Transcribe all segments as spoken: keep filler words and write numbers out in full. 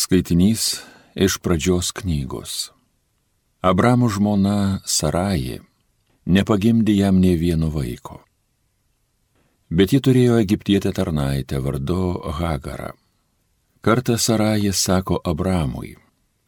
Skaitinys iš pradžios knygos. Abramo žmona Saraji nepagimdė jam nė vieno vaiko. Bet ji turėjo egiptietę tarnaitę vardu Hagarą. Kartą Saraji sako Abramui: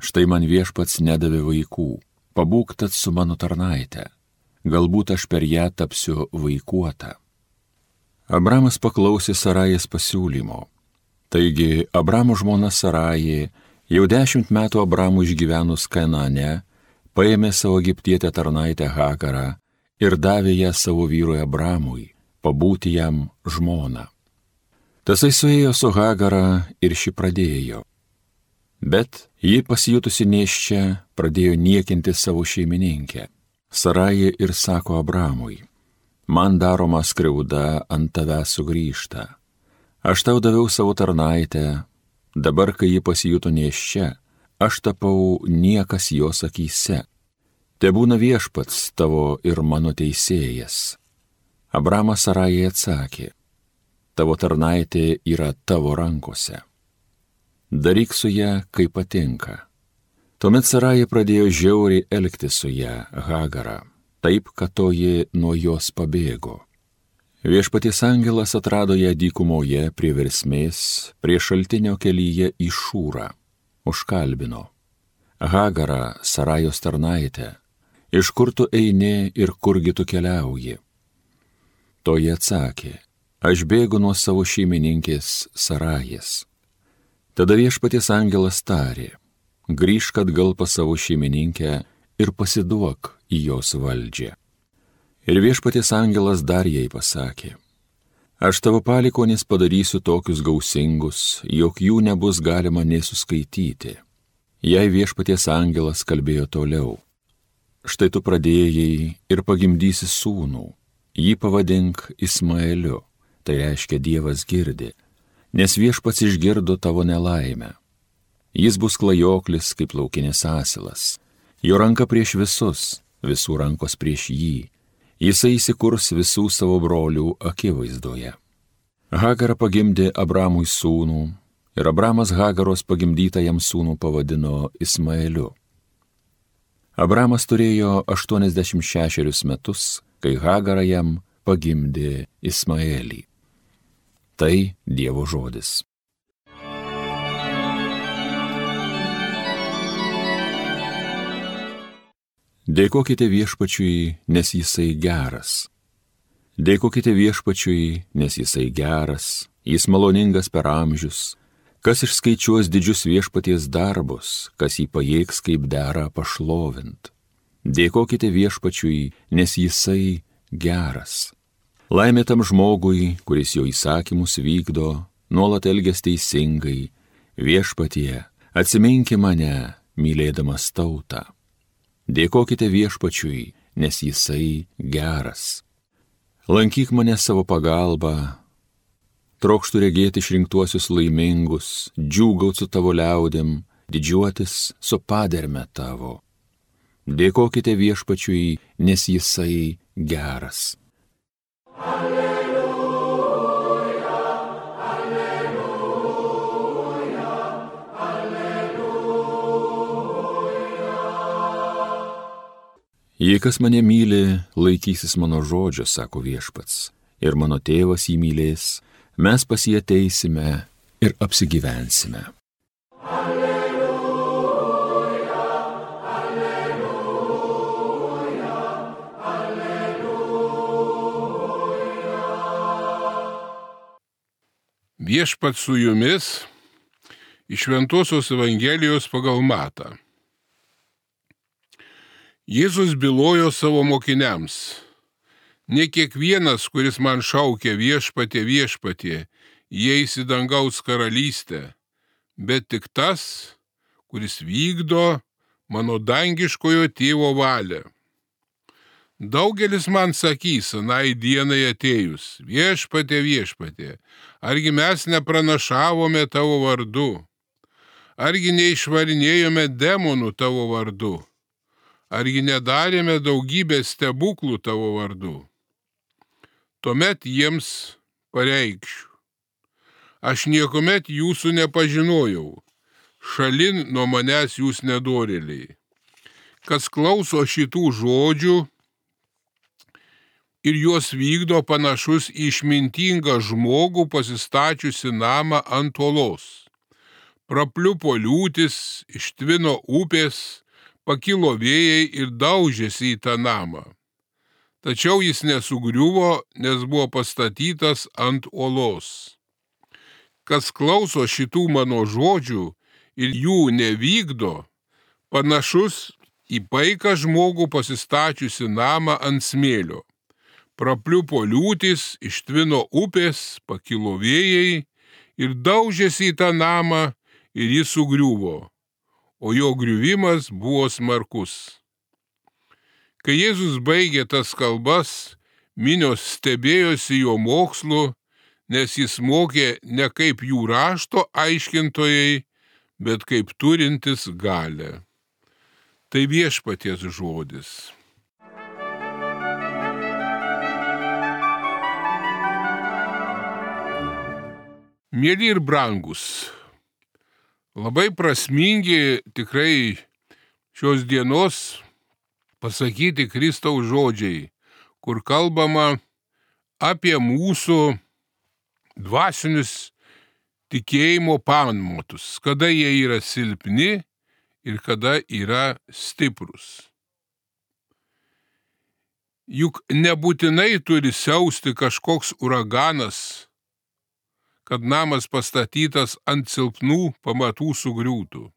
štai man viešpats nedavė vaikų, pabūk tad su mano tarnaite, galbūt aš per ją tapsiu vaikuota. Abramas paklausė Sarajės pasiūlymo. Taigi Abramo žmona Saraji, jau dešimt metų Abramui išgyvenus Kanaane, paėmė savo egiptietę tarnaitę Hagarą ir davė ją savo vyrui Abramui, pabūti jam žmona. Tasai suėjo su Hagara ir ši pradėjo. Bet ji pasijutusi nėščia pradėjo niekinti savo šeimininkę. Saraji ir sako Abramui: man daroma skriauda ant tavęs sugrįžta. Aš tau daviau savo tarnaitę, dabar, kai ji pasijuto nėščia, aš tapau niekas jos akyse. Tebūna viešpats tavo ir mano teisėjas. Abramas Sarajai atsakė: tavo tarnaitė yra tavo rankose. Daryk su ją, kaip patinka. Tuomet Sarajai pradėjo žiauriai elgtis su ją, Hagarą, taip, kad toji nuo jos pabėgo. Viešpaties angelas atrado ją dykumoje prie versmės, prie šaltinio kelyje į Šūrą. Užkalbino: Hagarą, Sarajos tarnaitę, iš kur tu eini ir kurgi tu keliauji? Toji atsakė: aš bėgu nuo savo šeimininkės Sarajės. Tada viešpaties angelas tarė: grįžk atgal pas savo šeimininkę ir pasiduok į jos valdžią. Ir viešpaties angelas dar jai pasakė: aš tavo palikonis padarysiu tokius gausingus, jog jų nebus galima nei suskaityti. Jei viešpaties angelas kalbėjo toliau: štai tu pradėjai ir pagimdysi sūnų, jį pavadink Ismaeliu, tai reiškia Dievas girdi, nes viešpats išgirdo tavo nelaimę. Jis bus klajoklis kaip laukinis asilas, jo ranka prieš visus, visų rankos prieš jį. Jisai įsikurs visų savo brolių akivaizdoje. Hagara pagimdė Abramui sūnų ir Abramas Hagaros pagimdytą jam sūnų pavadino Ismaeliu. Abramas turėjo aštuoniasdešimt šešerius metus, kai Hagara jam pagimdė Ismaelį. Tai Dievo žodis. Dėkokite viešpačiui, nes jisai geras. Dėkokite viešpačiui, nes jisai geras, jis maloningas per amžius. Kas išskaičiuos didžius viešpaties darbus, kas jį pajėgs kaip dera pašlovint. Dėkokite viešpačiui, nes jisai geras. Laimė tam žmogui, kuris jo įsakymus vykdo, nuolat elgias teisingai. Viešpatie, atsiminki mane, mylėdamas tautą. Dėkokite viešpačiui, nes jisai geras. Lankyk mane savo pagalba, trokštų regėti išrinktuosius laimingus, džiūgaut su tavo liaudėm, didžiuotis su paderme tavo. Dėkokite viešpačiui, nes jisai geras. Jei kas mane myli, laikysis mano žodžio, sako viešpats, ir mano tėvas jį mylės, mes pas jį ateisime ir apsigyvensime. Alleluja, alleluja, alleluja. Viešpats su jumis iš Šventosios Evangelijos pagal Matą. Jėzus bylojo savo mokiniams: ne kiekvienas, kuris man šaukia viešpatie, viešpatie, įeis į dangaus karalystę, bet tik tas, kuris vykdo mano dangiškojo tėvo valią. Daugelis man sakys anai dienai atėjus: viešpatie, viešpatie, argi mes nepranašavome tavo vardu, argi neišvarinėjome demonų tavo vardu, argi nedarėme daugybę stebuklų tavo vardu. Tuomet jiems pareikšiu: aš niekuomet jūsų nepažinojau, šalin nuo manęs jūs nedorėliai. Kas klauso šitų žodžių ir juos vykdo, panašus į išmintingą žmogų pasistačiusi namą ant uolos. Prapliupo liūtis, ištvino upės, pakilo vėjai ir daužėsi į tą namą. Tačiau jis nesugriuvo, nes buvo pastatytas ant uolos. Kas klauso šitų mano žodžių ir jų nevykdo, panašus į paiką žmogų pasistačiusi namą ant smėlio. Prapliupo liūtis, ištvino upės, pakilo vėjai ir daužėsi į tą namą ir jis sugriuvo, o jo griuvimas buvo smarkus. Kai Jėzus baigė tas kalbas, minios stebėjosi jo mokslu, nes jis mokė ne kaip jų rašto aiškintojai, bet kaip turintis galią. Tai viešpaties žodis. Mėly ir brangus, labai prasmingi tikrai šios dienos pasakyti Kristaus žodžiai, kur kalbama apie mūsų dvasinius tikėjimo pamatus, kada jie yra silpni ir kada yra stiprus. Juk nebūtinai turi siausti kažkoks uraganas, kad namas pastatytas ant silpnų pamatų sugriūtų.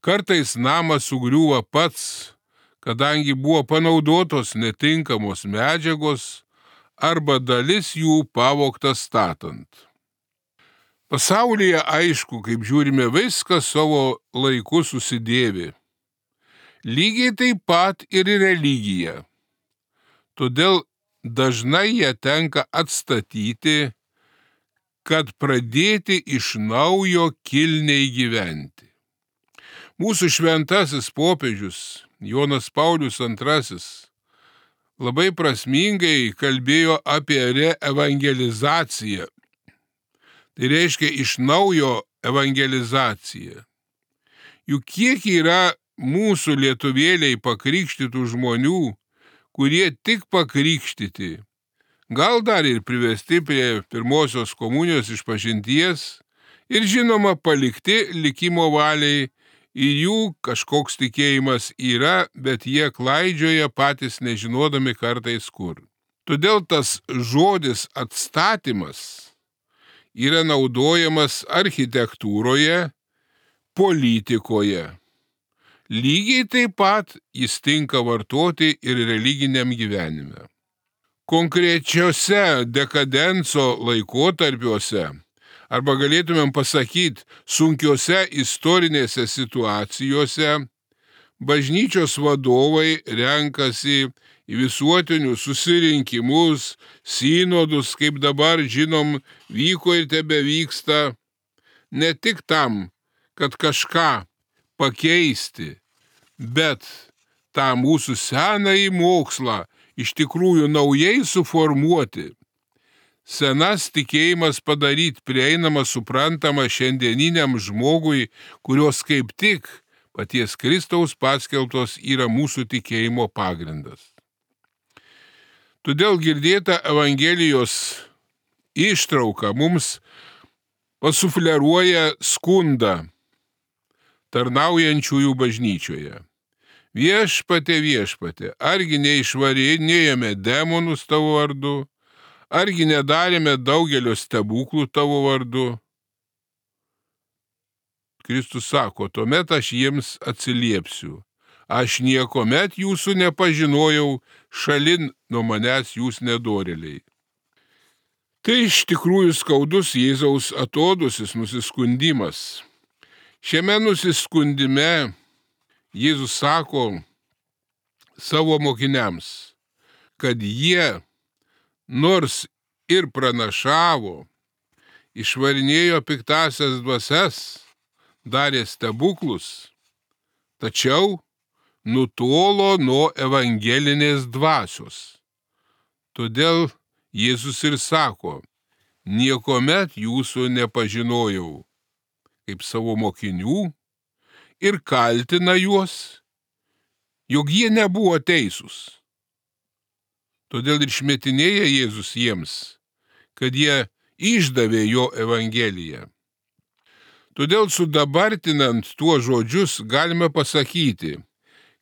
Kartais namas sugriūva pats, kadangi buvo panaudotos netinkamos medžiagos arba dalis jų pavogta statant. Pasaulyje aišku, kaip žiūrime, viskas savo laiku susidėvi. Lygiai taip pat ir religija. Todėl dažnai ją tenka atstatyti, kad pradėti iš naujo kilniai gyventi. Mūsų šventasis popiežius Jonas Paulius antrasis labai prasmingai kalbėjo apie reevangelizaciją. Tai reiškia iš naujo evangelizaciją. Juk kiek yra mūsų lietuvėliai pakrikštytų žmonių, kurie tik pakrikštyti, gal dar ir privesti prie pirmosios komunijos išpažinties ir žinoma palikti likimo valiai, ir jų kažkoks tikėjimas yra, bet jie klaidžioja patys nežinodami kartais kur. Todėl tas žodis atstatymas yra naudojamas architektūroje, politikoje. Lygiai taip pat jis tinka vartoti ir religiniam gyvenime. Konkrečiose dekadenso laikotarpiuose, arba galėtumėm pasakyti sunkiose istorinėse situacijose, bažnyčios vadovai renkasi į visuotinius susirinkimus, sinodus, kaip dabar žinom, vyko ir tebevyksta, ne tik tam, kad kažką pakeisti, bet tą mūsų senąjį mokslą iš tikrųjų naujai suformuoti. Senas tikėjimas padaryti prieinamą, suprantamą šiandieniniam žmogui, kurios kaip tik paties Kristaus paskelbtos yra mūsų tikėjimo pagrindas. Todėl girdėta Evangelijos ištrauka mums pasufleruoja skundą tarnaujančiųjų bažnyčioje. Viešpatie, viešpatie, argi neišvarinėjome demonus tavo vardu, argi nedarėme daugelio stebuklų tavo vardu? Kristus sako, tuomet aš jiems atsiliepsiu. Aš niekomet jūsų nepažinojau, šalin nuo manęs jūs nedorėliai. Tai iš tikrųjų skaudus Jėzaus atodusis nusiskundimas. Šiame nusiskundime Jėzus sako savo mokiniams, kad jie nors ir pranašavo, išvarinėjo piktasias dvasias, darė stebuklus, tačiau nutolo nuo evangelinės dvasios. Todėl Jėzus ir sako, niekomet jūsų nepažinojau. kaip savo mokinių ir kaltina juos, jog jie nebuvo teisūs. Todėl ir šmetinėja Jėzus jiems, kad jie išdavė jo evangeliją. Todėl sudabartinant tuos žodžius galime pasakyti,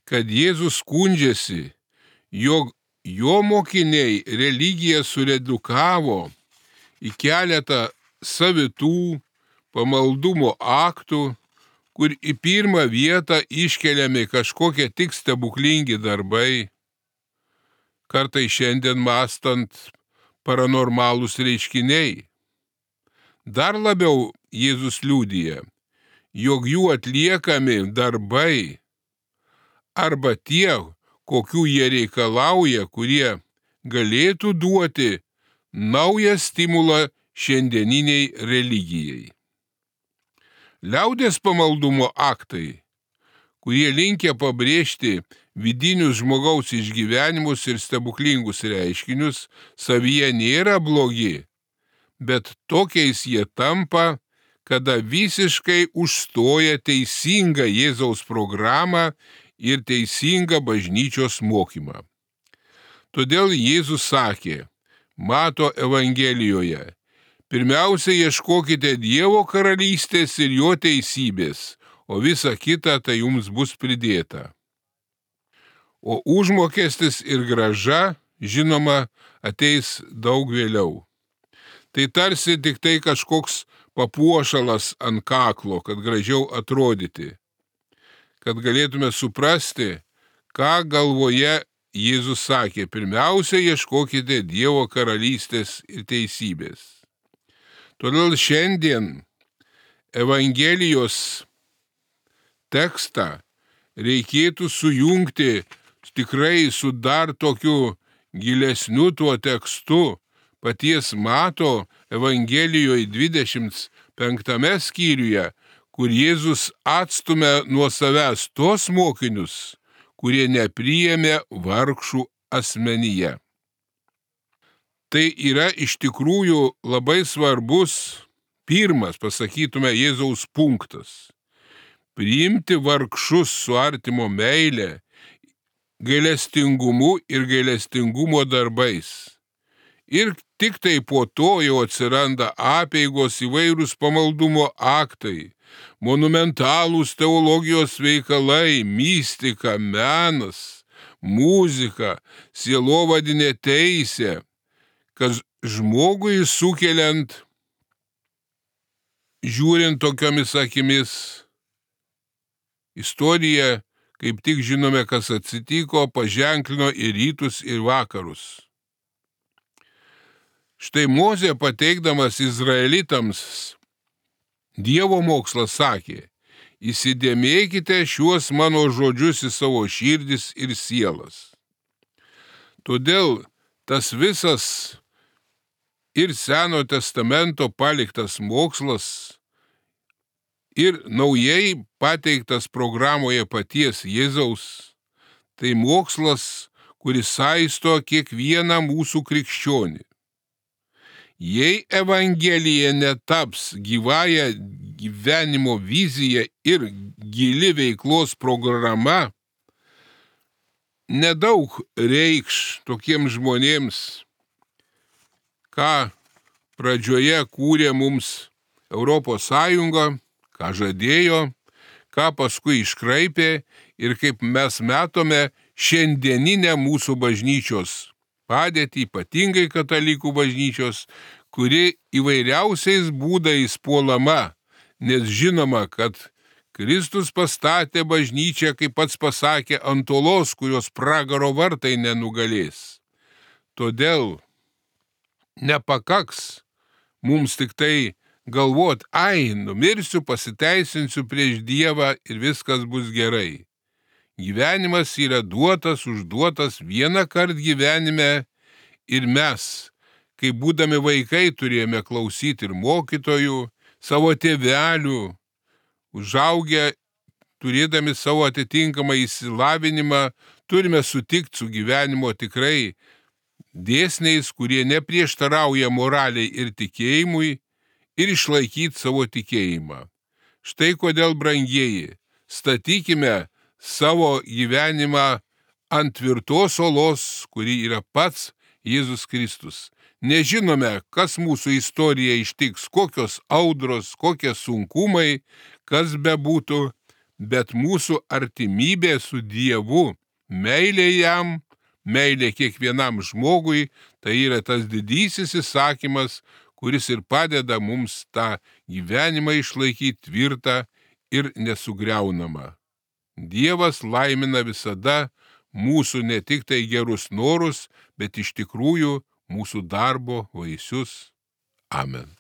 kad Jėzus skundžiasi, jog jo mokiniai religiją suredukavo į keletą savitų pamaldumo aktų, kur į pirmą vietą iškeliami kažkokie tik stebuklingi darbai, kartai šiandien mąstant paranormalūs reiškiniai. Dar labiau Jėzus liudija, jog jų atliekami darbai arba tie, kokių jie reikalauja, kurie galėtų duoti naują stimulą šiandieniniai religijai. Liaudės pamaldumo aktai, kurie linkę pabrėžti vidinius žmogaus išgyvenimus ir stebuklingus reiškinius, savyje nėra blogi, bet tokiais jie tampa, kada visiškai užstoja teisingą Jėzaus programą ir teisingą bažnyčios mokymą. Todėl Jėzus sakė Mato Evangelijoje: pirmiausia, ieškokite Dievo karalystės ir jo teisybės, o visa kita tai jums bus pridėta. O užmokestis ir grąža, žinoma, ateis daug vėliau. Tai tarsi tik tai kažkoks papuošalas ant kaklo, kad gražiau atrodyti, kad galėtume suprasti, ką galvoje Jėzus sakė: pirmiausia, ieškokite Dievo karalystės ir teisybės. Todėl šiandien Evangelijos tekstą reikėtų sujungti tikrai su dar tokiu gilesniu tuo tekstu paties Mato Evangelijoje dvidešimt penktame skyriuje, kur Jėzus atstumia nuo savęs tos mokinius, kurie nepriėmė vargšų asmenyje. Tai yra iš tikrųjų labai svarbus, pirmas, pasakytume, Jėzaus punktas. Priimti vargšus su artimo meile, gailestingumu ir gailestingumo darbais. Ir tik tai po to jau atsiranda apeigos, įvairūs pamaldumo aktai, monumentalūs teologijos veikalai, mistika, menas, muzika, sielovadinė teisė, kas žmogui sukeliant, žiūrint tokiomis akimis, istorija, kaip tik žinome, kas atsitiko, paženklino ir rytus, ir vakarus. Štai Mozė, pateikdamas izraelitams Dievo mokslą, sakė: įsidėmėkite šiuos mano žodžius į savo širdis ir sielas. Todėl tas visas ir Seno testamento paliktas mokslas ir naujai pateiktas programoje paties Jėzaus, tai mokslas, kuris saisto kiekvieną mūsų krikščionį. Jei Evangelija netaps gyvąją gyvenimo vizija ir gili veiklos programa, nedaug reikš tokiems žmonėms, ką pradžioje kūrė mums Europos Sąjunga, ką žadėjo, ką paskui iškraipė ir kaip mes matome šiandieninę mūsų bažnyčios padėtį, ypatingai katalikų bažnyčios, kuri įvairiausiais būdais puolama, nes žinoma, kad Kristus pastatė bažnyčią, kaip pats pasakė, ant uolos, kurios pragaro vartai nenugalės. Todėl nepakaks mums tik tai galvot: ai, numirsiu, pasiteisinsiu prieš Dievą ir viskas bus gerai. Gyvenimas yra duotas, užduotas vieną kartą gyvenime ir mes, kai būdami vaikai, turėjome klausyti ir mokytojų, savo tėvelių, užaugę, turėdami savo atitinkamą išsilavinimą, turime sutikti su gyvenimo tikrai dėsniais, kurie neprieštarauja moraliai ir tikėjimui, ir išlaikyti savo tikėjimą. Štai kodėl, brangieji, statykime savo gyvenimą ant tvirtos olos, kuri yra pats Jėzus Kristus. Nežinome, kas mūsų istorija ištiks, kokios audros, kokie sunkumai, kas bebūtų, bet mūsų artimybė su Dievu, meilė jam, meilė kiekvienam žmogui, tai yra tas didysis įsakymas, kuris ir padeda mums tą gyvenimą išlaikyti tvirtą ir nesugriaunamą. Dievas laimina visada mūsų ne tik tai gerus norus, bet iš tikrųjų mūsų darbo vaisius. Amen.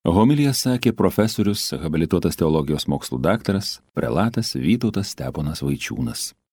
Homiliją sakė profesorius, habilituotas teologijos mokslų daktaras, prelatas Vytautas Steponas Vaičiūnas.